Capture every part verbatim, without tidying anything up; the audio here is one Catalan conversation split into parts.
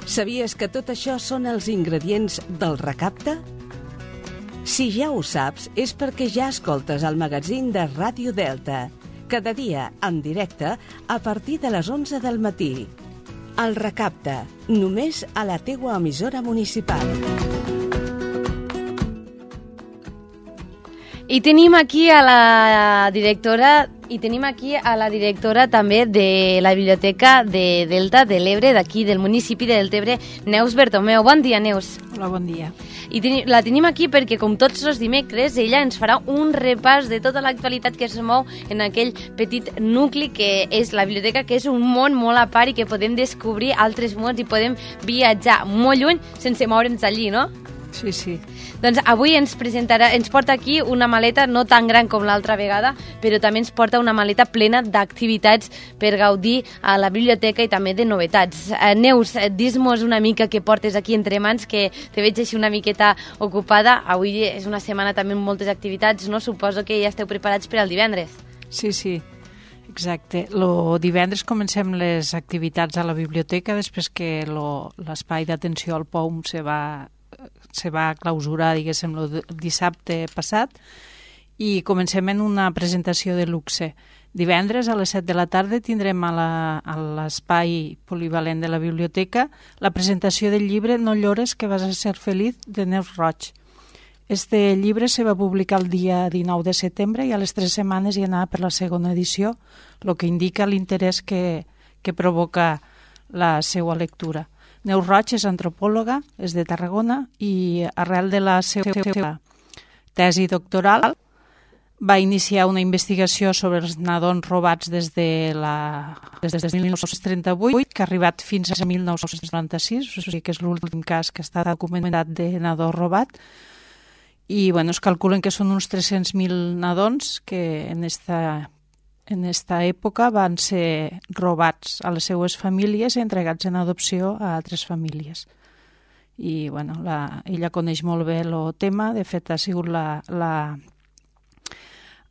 Sabies que tot això són els ingredients del Recapte? Si ja ho saps, és perquè ja escoltes el magazín de Ràdio Delta, cada dia en directe a partir de les onze del matí. El Recapte, només a la teua emissora municipal. I tenim aquí a la directora i tenim aquí a la directora també de la Biblioteca de Delta de l'Ebre, d'aquí del municipi de Deltebre, Neus Bertomeu. Bon dia, Neus. Hola, bon dia. I ten la tenim aquí perquè, com tots els dimecres, ella ens farà un repàs de tota l'actualitat que es mou en aquell petit nucli que és la biblioteca, que és un món molt a part i que podem descobrir altres mons i podem viatjar molt lluny sense moure'ns allí, no? Sí, sí. Doncs avui ens presentarà, ens porta aquí una maleta no tan gran com l'altra vegada, però també ens porta una maleta plena d'activitats per gaudir a la biblioteca i també de novetats. Eh, Neus, dis-nos una mica què portes aquí entre mans, que te veig així una miqueta ocupada. Avui és una setmana també amb moltes activitats, no? Suposo que ja esteu preparats per al divendres. Sí, sí, exacte. Lo divendres comencem les activitats a la biblioteca després que l'espai d'atenció al P O U M se va se va clausurar, diguéssim, el dissabte passat, i comencem en una presentació de luxe. Divendres a les set de la tarda tindrem a l'espai polivalent de la biblioteca la presentació del llibre No llores que vas a ser feliz, de Neus Roig. Este llibre se va publicar el dia dinou de setembre i a les tres setmanes ja anava per la segona edició, el que indica l'interès que, que provoca la seva lectura. Neus Roig és antropòloga, és de Tarragona i arrel de la seva tesi doctoral va iniciar una investigació sobre els nadons robats des de, la, des de mil nou-cents trenta-vuit, que ha arribat fins a mil nou-cents noranta-sis, o sigui que és l'últim cas que està documentat de nadó robat. I bueno, es calculen que són uns tres-cents mil nadons que en esta en esta època van ser robats a les seues famílies i entregats en adopció a altres famílies. I bueno, la, ella coneix molt bé el tema, de fet ha sigut la... la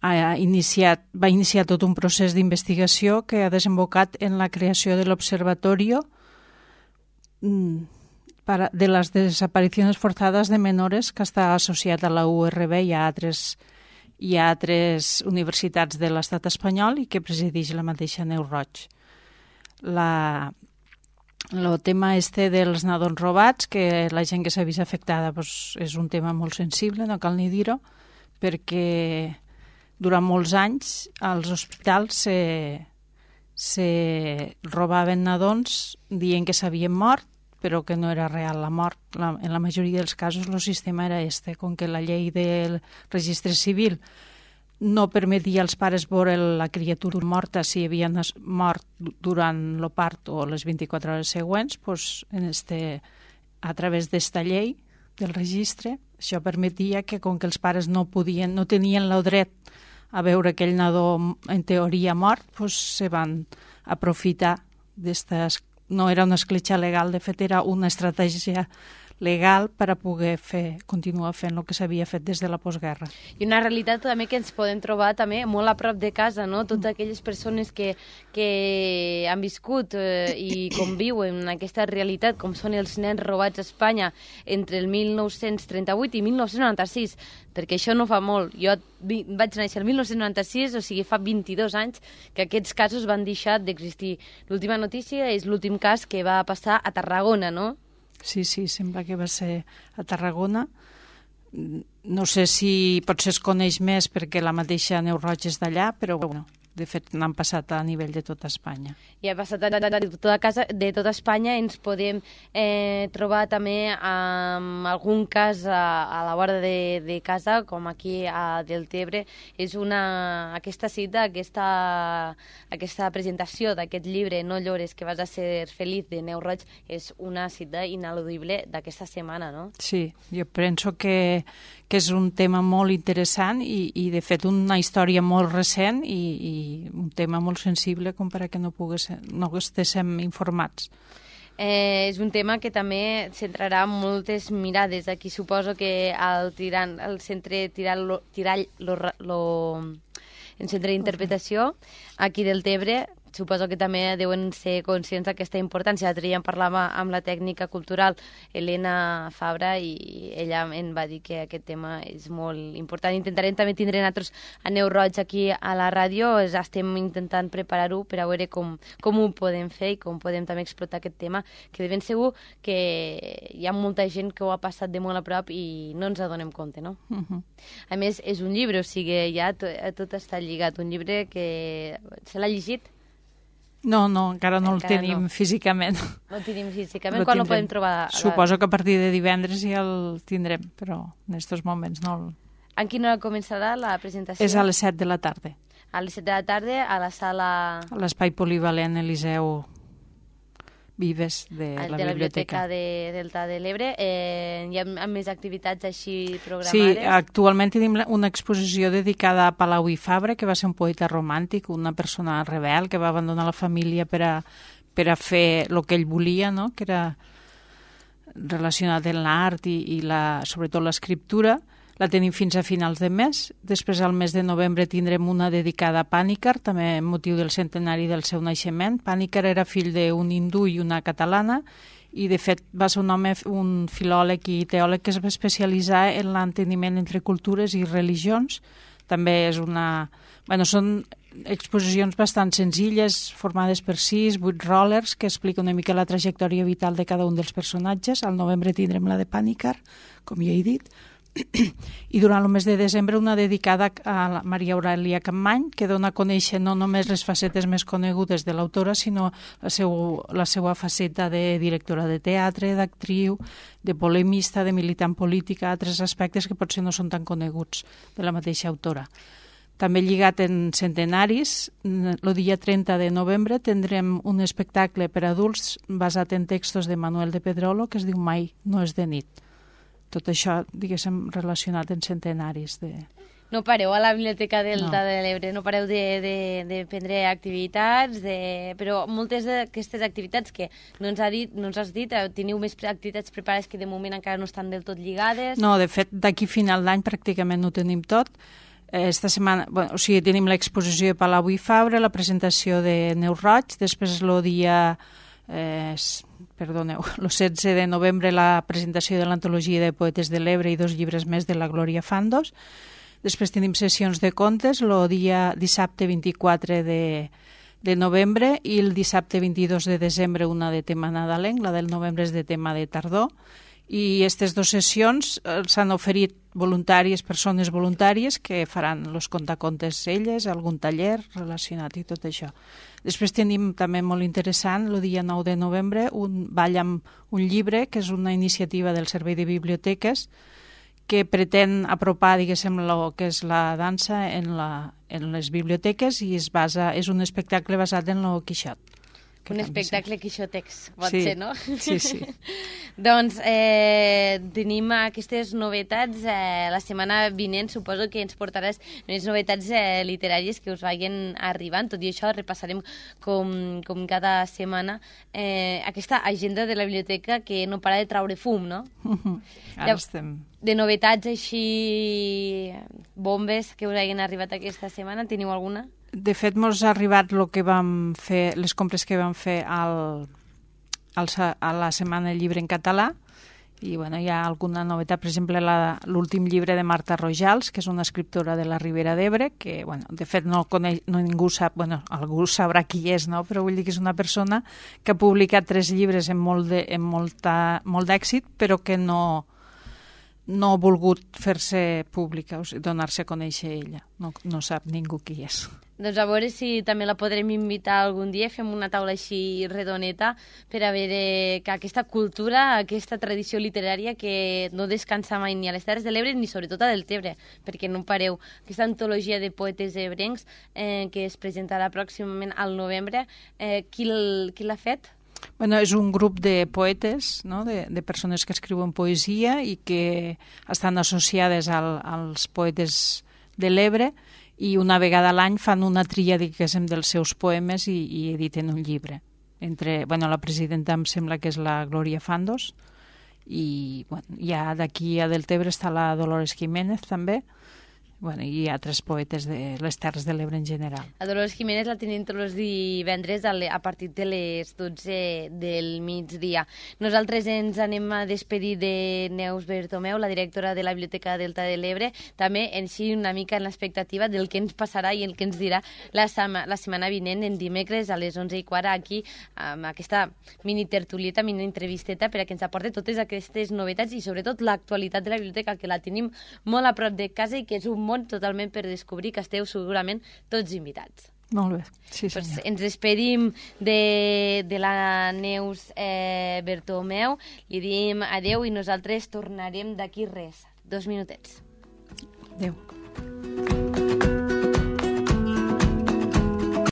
ha iniciat, va iniciar tot un procés d'investigació que ha desembocat en la creació de l'Observatorio de les desaparicions forzadas de menores, que està associat a la U R B i a altres i a altres universitats de l'estat espanyol i que presideix la mateixa Neus Roig. La, el tema este dels nadons robats, que la gent que s'ha vist afectada pues, és un tema molt sensible, no cal ni dir-ho, perquè durant molts anys als hospitals se, se robaven nadons dient que s'havien mort, però que no era real la mort. La, en la majoria dels casos el sistema era este, com que la llei del registre civil no permetia als pares veure la criatura morta si havien mort durant el part o les vint-i-quatre hores següents, doncs en este, a través d'esta llei del registre, això permetia que com que els pares no podien, no tenien el dret a veure aquell nadó en teoria mort, doncs se van aprofitar d'estes. No era una escletxa legal, de fet era una estratègia legal per a poder fer, continuar fent el que s'havia fet des de la postguerra. I una realitat també que ens podem trobar també molt a prop de casa, no? Totes aquelles persones que, que han viscut eh, i conviuen en aquesta realitat, com són els nens robats a Espanya entre el mil nou-cents trenta-vuit i mil nou-cents noranta-sis, perquè això no fa molt. Jo vaig néixer el mil nou-cents noranta-sis, o sigui, fa vint-i-dos anys que aquests casos van deixar d'existir. L'última notícia és l'últim cas que va passar a Tarragona, no? Sí, sí, sembla que va ser a Tarragona. No sé si potser es coneix més perquè la mateixa Neus Roig és d'allà, però bueno, de fet n'han passat a nivell de tota Espanya. I ha passat de tota, casa, de tota Espanya. Ens podem eh, trobar també amb algun cas a, a la vora de, de casa, com aquí a Deltebre. És una, aquesta cita, aquesta, aquesta presentació d'aquest llibre No llores que vas a ser feliz, de Neus Roig, és una cita ineludible d'aquesta setmana, no? Sí, jo penso que, que és un tema molt interessant i, i de fet una història molt recent i, i un tema molt sensible com per a que no, pogués, no estiguéssim informats. Eh, és un tema que també centrarà moltes mirades. Aquí suposo que el, tirant, el centre Tirall, lo, tirall lo, lo, el centre d'interpretació aquí del Tebre suposo que també deuen ser conscients d'aquesta importància. L'altre dia en parlàvem amb la tècnica cultural Helena Fabra i ella em va dir que aquest tema és molt important. Intentarem també tindre nosaltres a Neu Roig aquí a la ràdio, estem intentant preparar-ho per a veure com, com ho podem fer i com podem també explotar aquest tema, que de ben segur que hi ha molta gent que ho ha passat de molt a prop i no ens adonem compte, no? Uh-huh. A més, és un llibre, o sigui, ja tot, tot està lligat, un llibre que... Se l'ha llegit? No, no, encara no encara el tenim no. físicament. No el tenim físicament, quan el podem trobar? Suposo que a partir de divendres ja el tindrem, però en aquests moments no el... En quina hora començarà la presentació? És a les set de la tarda. A les set de la tarda, a la sala... A l'espai polivalent Eliseu Vives de la, de la Biblioteca de Delta de l'Ebre. Eh, hi ha més activitats així programades? Sí, actualment tenim una exposició dedicada a Palau i Fabra, que va ser un poeta romàntic, una persona rebel que va abandonar la família per a, per a fer el que ell volia, no? Que era relacionat amb l'art i, i la, sobretot l'escriptura. La tenim fins a finals de mes. Després, al mes de novembre, tindrem una dedicada a Pànicar, també amb motiu del centenari del seu naixement. Pànicar era fill d'un hindú i una catalana, i, de fet, va ser un home, un filòleg i teòleg que es va especialitzar en l'enteniment entre cultures i religions. També és una... Bueno, són exposicions bastant senzilles, formades per sis, vuit rollers, que explica una mica la trajectòria vital de cada un dels personatges. Al novembre tindrem la de Pànicar, com ja he dit, i durant el mes de desembre una dedicada a la Maria Aurèlia Capmany, que dona a conèixer no només les facetes més conegudes de l'autora, sinó la, seu, la seva faceta de directora de teatre, d'actriu, de polemista, de militant política, altres aspectes que potser no són tan coneguts de la mateixa autora. També lligat en centenaris, el dia trenta de novembre tindrem un espectacle per a adults basat en textos de Manuel de Pedrolo que es diu Mai no és de nit. Tot això, diguéssim, relacionat en centenaris de... No pareu a la Biblioteca Delta no. de l'Ebre, no pareu de, de, de prendre activitats, de... però moltes d'aquestes activitats que no ens, ha dit, no ens has dit, teniu més activitats preparades que de moment encara no estan del tot lligades? No, de fet, d'aquí final d'any pràcticament ho tenim tot. Esta setmana, bueno, o sigui, tenim l'exposició de Palau i Fabra, la presentació de Neu Roig, després el dia... Eh, perdoneu, el setze de novembre la presentació de l'antologia de poetes de l'Ebre i dos llibres més de la Glòria Fandos. Després tenim sessions de contes el dia dissabte vint-i-quatre de, de novembre i el dissabte vint-i-dos de desembre una de tema nadalenc, la del novembre és de tema de tardor. I aquestes dues sessions s'han oferit voluntaris, persones voluntàries que faran els contacontes elles, algun taller relacionat i tot això. Després tenim també molt interessant el dia nou de novembre un ball amb un llibre, que és una iniciativa del Servei de Biblioteques que pretén apropar, diguéssim, el que és la dansa en, la, en les biblioteques i es basa, és un espectacle basat en el Quixot. Un espectacle quixotex, pot sí, ser, no? Sí, sí. Doncs eh, tenim aquestes novetats. Eh, la setmana vinent suposo que ens portaràs unes novetats eh, literàries que us vagin arribant. Tot i això repassarem com, com cada setmana eh, aquesta agenda de la biblioteca que no para de traure fum, no? Uh-huh. Ara estem... De novetats així, bombes que us hagin arribat aquesta setmana, teniu alguna? De fet, ens ha arribat lo que vam fer, les compres que vam fer al, al, a la Setmana del Llibre en català, i bueno, hi ha alguna novetat, per exemple, l'últim llibre de Marta Rojals, que és una escriptora de la Ribera d'Ebre, que, bueno, de fet, no, coneix, no ningú sap, bueno, algú sabrà qui és, no? Però vull dir que és una persona que ha publicat tres llibres amb molt de, amb molta, molt d'èxit, però que no... no ha volgut fer-se pública, o sigui, donar-se a conèixer ella. No, no sap ningú qui és. Doncs a veure si també la podrem invitar algun dia, fem una taula així redoneta per a veure que aquesta cultura, aquesta tradició literària que no descansa mai ni a les Terres de l'Ebre ni sobretot a Deltebre, perquè no pareu. Aquesta antologia de poetes ebrencs eh, que es presentarà pròximament al novembre, eh, qui l'ha fet? Bueno, és un grup de poetes, no? de, de persones que escriuen poesia i que estan associades al, als poetes de l'Ebre i una vegada a l'any fan una tria, diguéssim, dels seus poemes i, i editen un llibre. Entre, bueno, la presidenta em sembla que és la Glòria Fandos i bueno, ja d'aquí a Deltebre està la Dolores Jiménez també. bueno, i altres poetes de les Terres de l'Ebre en general. A Dolors Jiménez la tenim tots els divendres a, le, a partir de les dotze del migdia. Nosaltres ens anem a despedir de Neus Bertomeu, la directora de la Biblioteca Delta de l'Ebre, també així una mica en l'expectativa del que ens passarà i el que ens dirà la, sama, la setmana vinent, en dimecres a les onze i quart, aquí, amb aquesta mini tertulieta, mini entrevisteta, per a que ens aporti totes aquestes novetats i sobretot l'actualitat de la biblioteca, que la tenim molt a prop de casa i que és un món totalment per descobrir, que esteu segurament tots invitats. Molt bé, sí senyor. Pues ens despedim de, de la Neus eh, Bertomeu, li diem adeu i nosaltres tornarem d'aquí res, dos minutets. Adeu.